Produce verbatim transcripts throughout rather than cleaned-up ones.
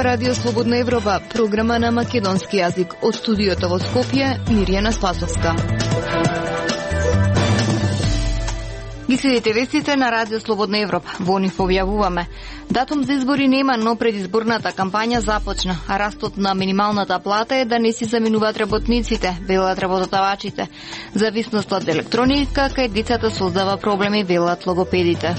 ова Радио Слободна Европа, програма на македонски јазик. Од студиото во Скопје, Мирјана Спасовска. Ги следите вестите на Радио Слободна Европа. Во нив објавуваме: датум за избори нема, но предизборната кампања започна, а растот на минималната плата е да не си заменуваат работниците, велат работодавачите. Зависноста од електроника кај децата создава проблеми, велат логопедите.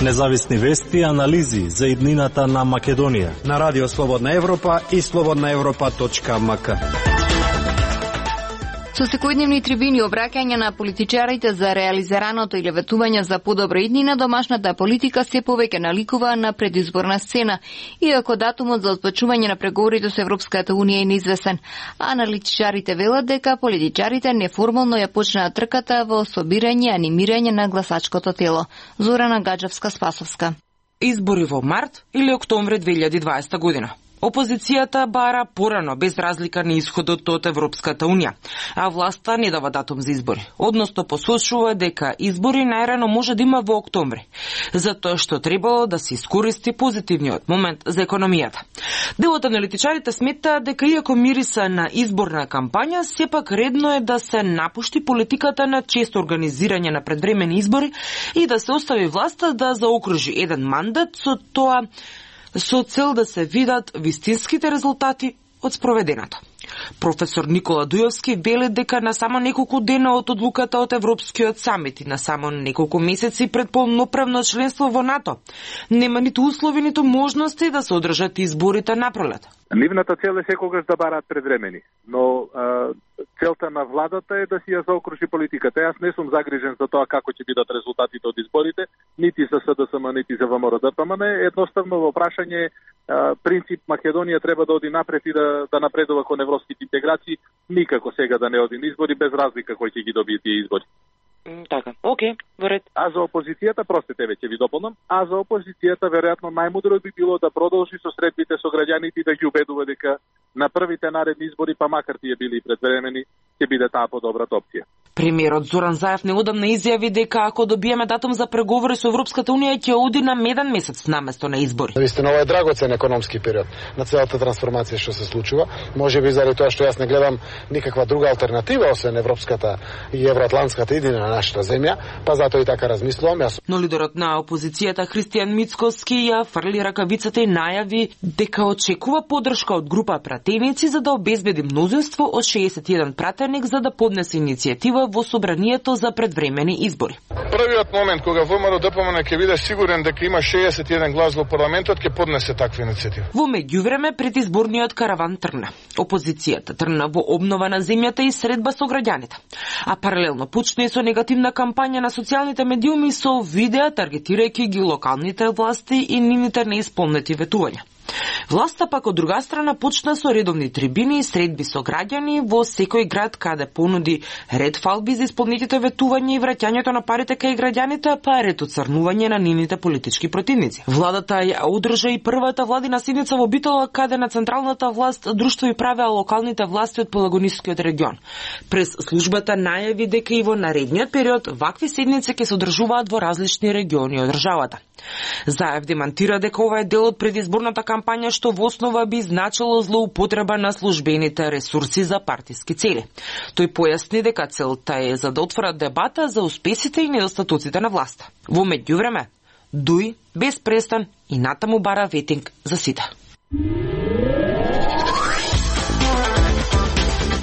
Независни вести и анализи за иднината на Македонија на Радио Слободна Европа и слободна европа точка ем ка. Со секојдневни трибини обраќања на политичарите за реализираното или ветување за подобра иднина, домашната политика се повеќе наликува на предизборна сцена, иако датумот за отпочнување на преговорите со Европската унија е неизвестен. Аналитичарите велат дека политичарите неформално ја почнаа трката во собирање и анимирање на гласачкото тело. Зорана Гаджевска-Спасовска. Избори во март или октомври две илјади и дваесета година. Опозицијата бара порано, без разлика на исходот од Европската унија, а власта не дава датум за избори. Односно посочува дека избори најрано може да има во октомври, затоа што требало да се искористи позитивниот момент за економијата. Дел од аналитичарите смета дека иако мириса на изборна кампања, сепак редно е да се напушти политиката на често организирање на предвремени избори и да се остави власта да заокружи еден мандат, со тоа со цел да се видат вистинските резултати од спроведеното. Професор Никола Дујовски вели дека на само неколку дена од одлуката од Европскиот самит и на само неколку месеци пред полноправно членство во НАТО нема ниту услови, ниту можности да се одржат изборите на пролет. Нивната цел е секогаш да бараат предвремени, но а, целта на владата е да си ја заокружи политиката. Јас не сум загрижен за тоа како ќе бидат резултатите од изборите, нити за С Д С М, нити за В М Р Д П М Н. Едноставно во прашање а, принцип Македонија треба да оди напред и да, да напредува кон европските интеграции, никако сега да не оди на избори, без разлика кој ќе ги добие тие избори. Така, окей, во ред. А за опозицијата, простите, веќе ви дополнам, а за опозицијата веројатно најмудро би било да продолжи со средбите со граѓаните и да ги убедува дека на првите наредни избори, па макар тие били и предвремени, ќе биде таа подобрата опција. Премиерот Зоран Заев неодамна изјави дека ако добиеме датум за преговори со Европската унија ќе оди на меден месец наместо на избори. Навистина ова е драгоцен економски период на целата трансформација што се случува. Можеби заради тоа што јас не гледам никаква друга алтернатива освен европската и евроатлантската иднина на нашата земја, па затоа и така размислувам јас. Но лидерот на опозицијата Христијан Мицкоски ја фрли ракавицата и најави дека очекува поддршка од група пратеници за да обезбеди мнозинство од шеесет и еден пратеник за да поднесе иницијатива во собранието за предвремени избори. Првиот момент кога В М Р Д П М Н ќе биде сигурен дека има шеесет и еден глас во парламентот, ќе поднесе таква иницијатива. Во меѓувреме предизборниот караван тргна. Опозицијата тргна во обнова на земјата и средба со граѓаните. А паралелно почна и со негативна кампања на социјалните медиуми со видеа таргетирајќи ги локалните власти и нивните неисполнети ветувања. Власта пак од друга страна почна со редовни трибини и средби со граѓани во секој град каде понуди ред фалби за исполнетите ветувања и враќањето на парите кај граѓаните, па ред оцрнување на нивните политички противници. Владата ја одржа и првата владина седница во Битола каде на централната власт друштво и правеа локалните власти од Пелагонискиот регион. Прес службата најави дека и во наредниот период вакви седници ќе се одржуваат во различни региони од државата. Заев демантира дека ова е дел од предизборната кампања што во основа би значило злоупотреба на службените ресурси за партиски цели. Тој појасни дека целта е за да отвора дебата за успесите и недостатоците на власта. Во меѓувреме, дуи без престан и натаму бара ветинг за сите.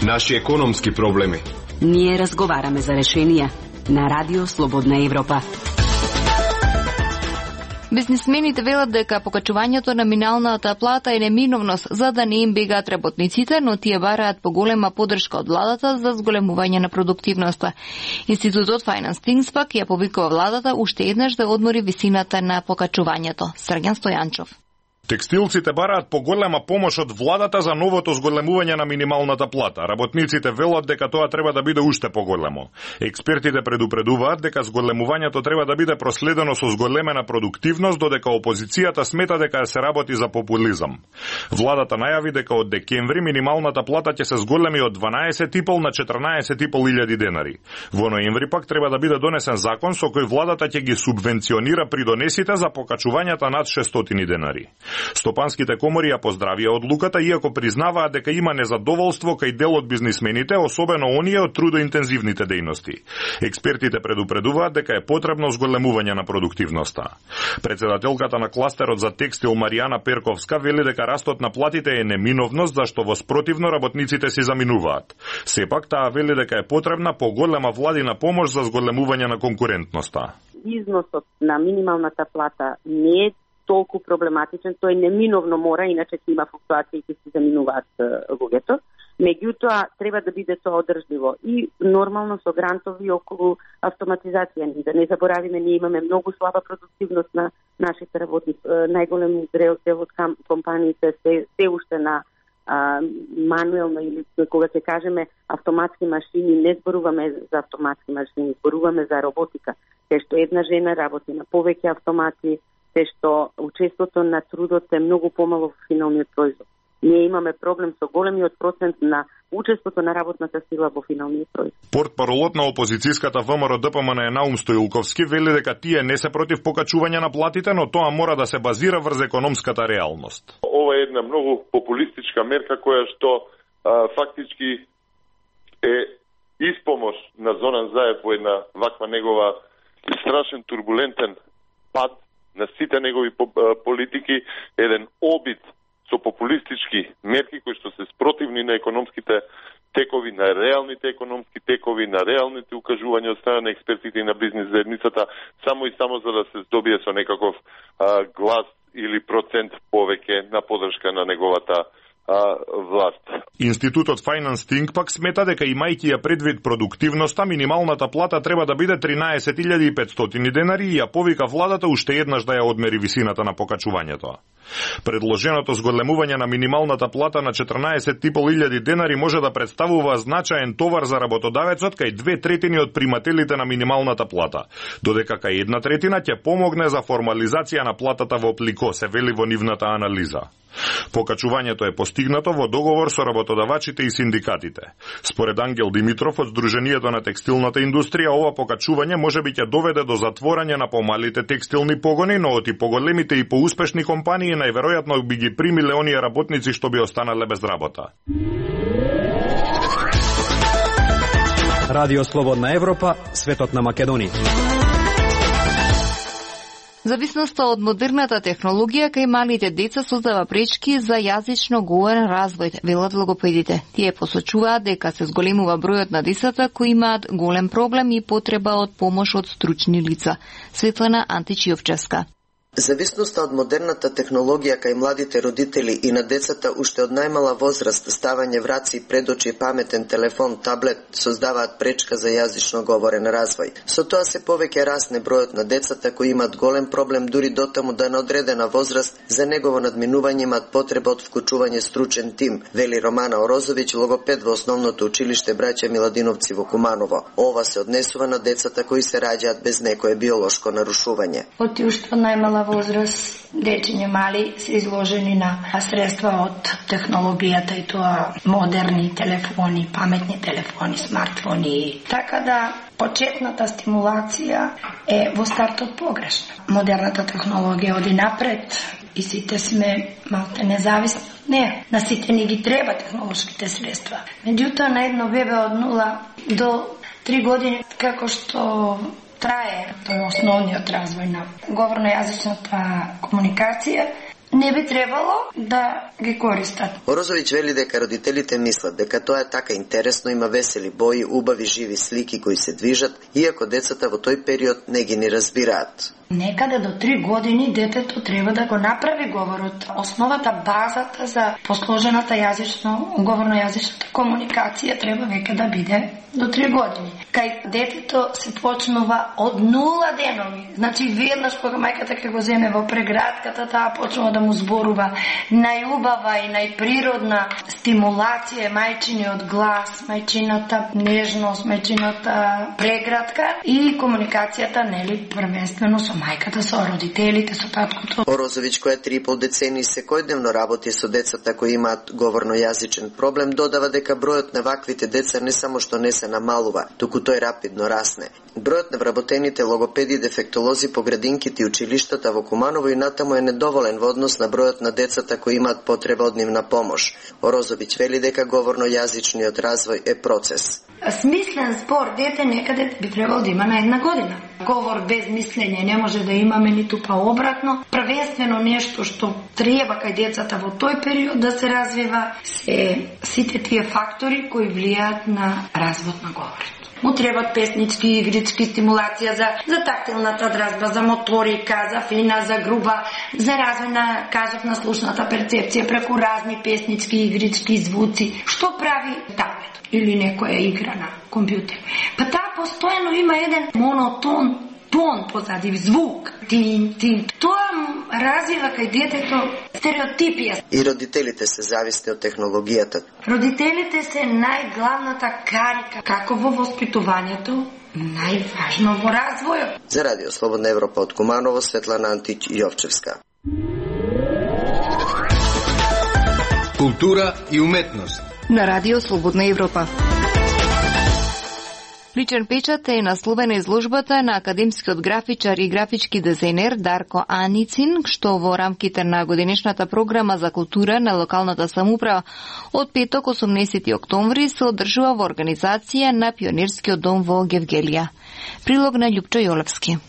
Наши економски проблеми. Ние разговараме за решенија на Радио Слободна Европа. Бизнисмените велат дека покачувањето на минималната плата е неминовност за да не им бегаат работниците, но тие бараат поголема поддршка од владата за зголемување на продуктивноста. Институтот Finance Things пак ја повикува владата уште еднаш да одмори висината на покачувањето. Срѓан Стојанчов. Текстилците бараат поголема помош од владата за новото зголемување на минималната плата. Работниците велат дека тоа треба да биде уште поголемо. Експертите предупредуваат дека зголемувањето треба да биде проследено со зголемена продуктивност, додека опозицијата смета дека се работи за популизам. Владата најави дека од декември минималната плата ќе се зголеми од дванаесет и пол на четрнаесет и пол илјади денари. Во ноември пак треба да биде донесен закон со кој владата ќе ги субвенционира придонесите за покачувањата над шестстотини денари. Стопанските комори ја поздравија одлуката, иако признаваат дека има незадоволство кај дел од бизнисмените, особено оние од трудоинтензивните дејности. Експертите предупредуваат дека е потребно зголемување на продуктивноста. Председателката на кластерот за текстил Маријана Перковска вели дека растот на платите е неминовност, зашто во спротивно работниците си заминуваат. Сепак таа вели дека е потребна поголема владина помош за зголемување на конкурентноста. Износот на минималната плата не е толку проблематичен, тој неминовно мора, иначе ќе има флуктуации и ќе се заминуваат луѓето. Меѓутоа, треба да биде тоа одржливо и нормално со грантови околу автоматизација. Да не заборавиме, ние имаме многу слаба продуктивност на нашите работници. Најголем дел од компаниите се, се уште на а, мануелно или кога ќе кажеме автоматски машини, не зборуваме за автоматски машини, зборуваме за роботика. Те што една жена работи на повеќе автомати, те што учеството на трудот е многу помало во финалниот производ. Ние имаме проблем со големиот процент на учеството на работната сила во финалниот производ. Портпаролот на опозицијската ВМРО Д П М Н е Наум Стоилковски вели дека тие не се против покачување на платите, но тоа мора да се базира врз економската реалност. Ова е една многу популистичка мерка која што а, фактички е испомош на Зоран Заев во една ваква негова страшен турбулентен пад на сите негови политики, еден обид со популистички мерки кои што се спротивни на економските текови, на реалните економски текови, на реалните укажувања од страна на експертите и на бизнис заедницата, само и само за да се здобие со некаков а, глас или процент повеќе на поддршка на неговата а, власт. Институтот Finance Think пак смета дека имајќи ја предвид продуктивноста, минималната плата треба да биде тринаесет илјади и петстотини денари и ја повика владата уште еднаш да ја одмери висината на покачувањето. Предложеното зголемување на минималната плата на четрнаесет и пол илјади денари може да представува значаен товар за работодавецот кај две третини од примателите на минималната плата, додека кај една третина ќе помогне за формализација на платата во оплико, се вели во нивната анализа. Покачувањето е постигнато во договор со работодавачите и синдикатите. Според Ангел Димитров од Сдруженијето на текстилната индустрија, ова покачување можеби ќе доведе до затворање на помалите текстилни погони, но од и поголемите и поуспешни компании најверојатно би ги примиле оние работници што би останале без работа. Радио Слободна Европа, светот на Македонија. Зависноста од модерната технологија кај малите деца создава пречки за јазично говорен развој, велат логопедите. Тие посочуваат дека се зголемува бројот на децата кои имаат голем проблем и потреба од помош од стручни лица. Светлана Античиовчевска. Зависноста од модерната технологија кај младите родители и на децата уште од најмала возраст, ставање враци пред очи, паметен телефон, таблет, создаваат пречка за јазично говорен развој. Со тоа се повеќе расне бројот на децата кои имаат голем проблем дури дотаму да на одредена возраст за негово надминување имаат потреба од вклучување стручен тим, вели Романа Орозовиќ, логопед во основното училиште Браќа Миладиновци во Куманово. Ова се однесува на децата кои се раѓаат без некое биолошко нарушување. Оти уште најмала возраст, дечиња мали се изложени на средства од технологијата и тоа модерни телефони, паметни телефони, смартфони. Така да почетната стимулација е во стартот погрешна. Модерната технологија оди напред и сите сме малку независни од неа. На сите ни ги треба технолошките средства. Меѓутоа на едно бебе од нула до три години, како што трае тоа основниот развој на говорно-јазичната комуникација, не би требало да ги користат. Орозовиќ вели дека родителите мислат дека тоа е така интересно, има весели бои, убави живи слики кои се движат, иако децата во тој период не ги ни разбираат. Некаде до три години детето треба да го направи говорот. Основата, базата за посложената јазично, говорно-јазичната комуникација треба веќе да биде до три години. Кај детето се почнува од нула денови. Значи веднаш кога мајката ќе го земе во преградката, таа почнува да му зборува најубава и најприродна стимулација, мајчиниот глас, мајчината нежност, мајчината преградка и комуникацијата, нели, првенствено со мајката, со родителите, со таткото. Орозовиќ, која три и пол децении секојдневно работи со децата кои имаат говорно-јазичен проблем, додава дека бројот на ваквите деца не само што не се намалува, туку тој рапидно расне. Бројот на вработените логопеди и дефектолози по градинките и училиштата во Куманово и натаму е недоволен во однос на бројот на децата кои имаат потреба од нивна помош. Орозовиќ вели дека говорно-јазичниот развој е процес. Смислен спор дете некаде би требало да има на една година. Говор без мислење не може да имаме, ниту па обратно. Првенствено нешто што треба кај децата во тој период да се развива се сите тие фактори кои влијаат на развод на говорот. Му требат песнички, игрички, стимулација за, за тактилната дразба, за моторика, за фина, за груба, за развој на, кажав, на слушната перцепција преку разни песнички, игрички, звуци. Што прави таблет или некоја игра на компјутер? Па таа постојано има еден монотон, тон позади, звук, тин, тин. Тоа развива кај детето стереотипија. И родителите се зависни од технологијата. Родителите се најглавната карика, како во воспитувањето, најважно во развојот. За Радио Слободна Европа од Куманово, Светлана Антич Јовчевска. Култура и уметност. На Радио Слободна Европа. Личен печат е насловена изложбата на академскиот графичар и графички дизајнер Дарко Аницин, што во рамките на годинешната програма за култура на локалната самоуправа од петок осумнаесети октомври се одржува во организација на Пионерскиот дом во Гевгелија. Прилог на Љупчо Јолевски.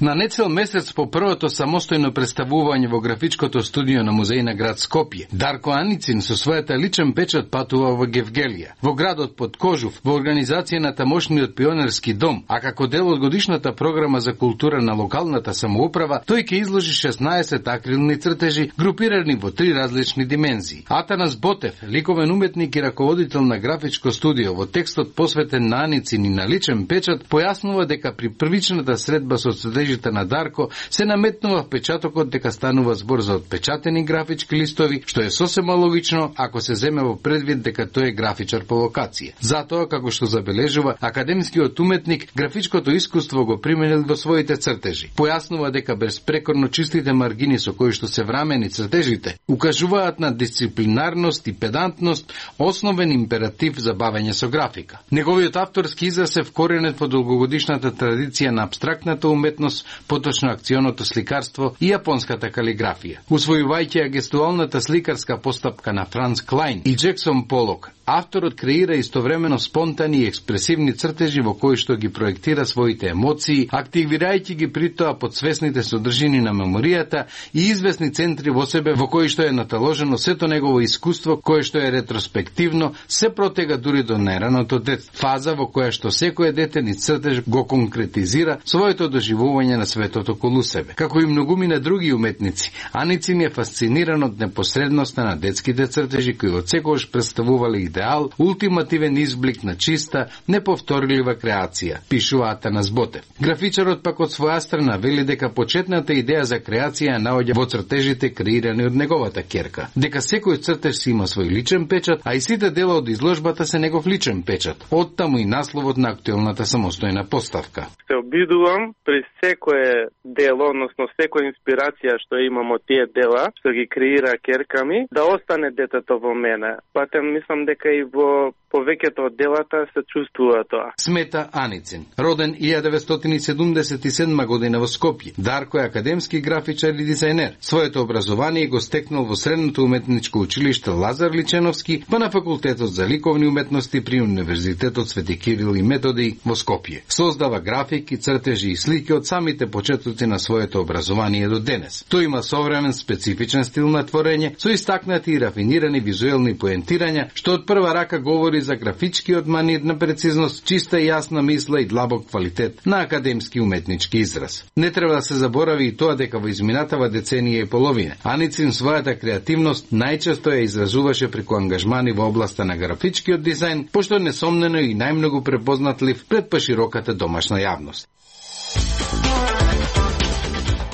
На нецел месец по првото самостојно представување во графичкото студио на музеј на град Скопје, Дарко Аницин со својата личен печат патува во Гевгелија, во градот Подкожув, во организација на тамошниот Пионерски дом, а како дел од годишната програма за култура на локалната самоуправа, тој ќе изложи шеснаесет акрилни цртежи, групирани во три различни димензии. Атанас Ботев, ликовен уметник и раководител на графичко студио, во текстот посветен на Аницин и на личен печат, појаснува дека при првичната средба со цртежи на Дарко се наметнува впечатокот дека станува збор за отпечатени графички листови, што е сосема логично ако се земе во предвид дека тој е графичар по вокација. Затоа, како што забележува академскиот уметник, графичкото искуство го применил во своите цртежи. Појаснува дека безпрекорно чистите маргини со кои што се врамени цртежите укажуваат на дисциплинарност и педантност, основен императив за бавење со графика. Неговиот авторски израз е вкоренет во долгогодишната традиција на апстрактната уметност, поточно акционото сликарство и јапонската калиграфија. Усвојувајќи ја гестуалната сликарска постапка на Франц Клајн и Джексон Полок, авторот креира истовремено спонтани и експресивни цртежи во кои што ги проектира своите емоции, активирајќи ги при тоа подсвесните содржини на меморијата и известни центри во себе во кои што е наталожено сето негово искуство, кое што е ретроспективно, се протега дури до најраното детство, фаза во која што секој дете ни цртеж го конкретизира своето доживување на светот околу себе. Како и многумина други уметници, Аницин е фасциниран од непосредноста на детските цртежи кои од секогаш представувале идеал, ултимативен изблик на чиста, неповторлива креација, пишува Атанас Ботев. Графичарот пак од своја страна вели дека почетната идеја за креација ја наоѓа во цртежите креирани од неговата ќерка, дека секој цртеж си има свој личен печат, а и сите дела од изложбата се негов личен печат. Оттаму и насловот на актуелната самостојна поставка. Се обидувам при секое дело, односно секоја инспирација што имам од тие дела, што ги креира ќерка ми, да остане детето во мене. Патем мислам дека и во повеќето од делата се чувствува тоа. Смета Аницин, роден илјада деветстотини седумдесет и седма година во Скопје. Дарко е академски графичар и дизајнер. Своето образование го стекнал во Средното уметничко училиште Лазар Личеновски, па на факултетот за ликовни уметности при Универзитетот Свети Кирил и Методи во Скопје. Создава графики, цртежи и слики од самите почетоци на своето образование до денес. Тој има современ специфичен стил на творење со истакнати и рафинирани визуелни поентирања, што од прва рака говори збори за графичкиот манир на прецизност, чиста и јасна мисла и длабок квалитет на академски уметнички израз. Не треба да се заборави и тоа дека во изминатава деценија и половина Аницин својата креативност најчесто ја изразуваше преку ангажмани во областа на графичкиот дизајн, пошто несомнено и најмногу препознатлив пред пошироката домашна јавност.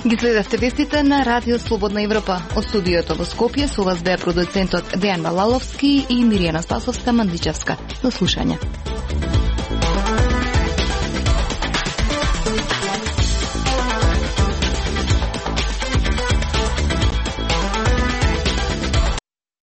Ги следевте вестите на Радио Слободна Европа. Од студиото во Скопје со вас беа продуцентот Дејан Балаловски и Миријана Спасовска-Мандичевска. До слушање.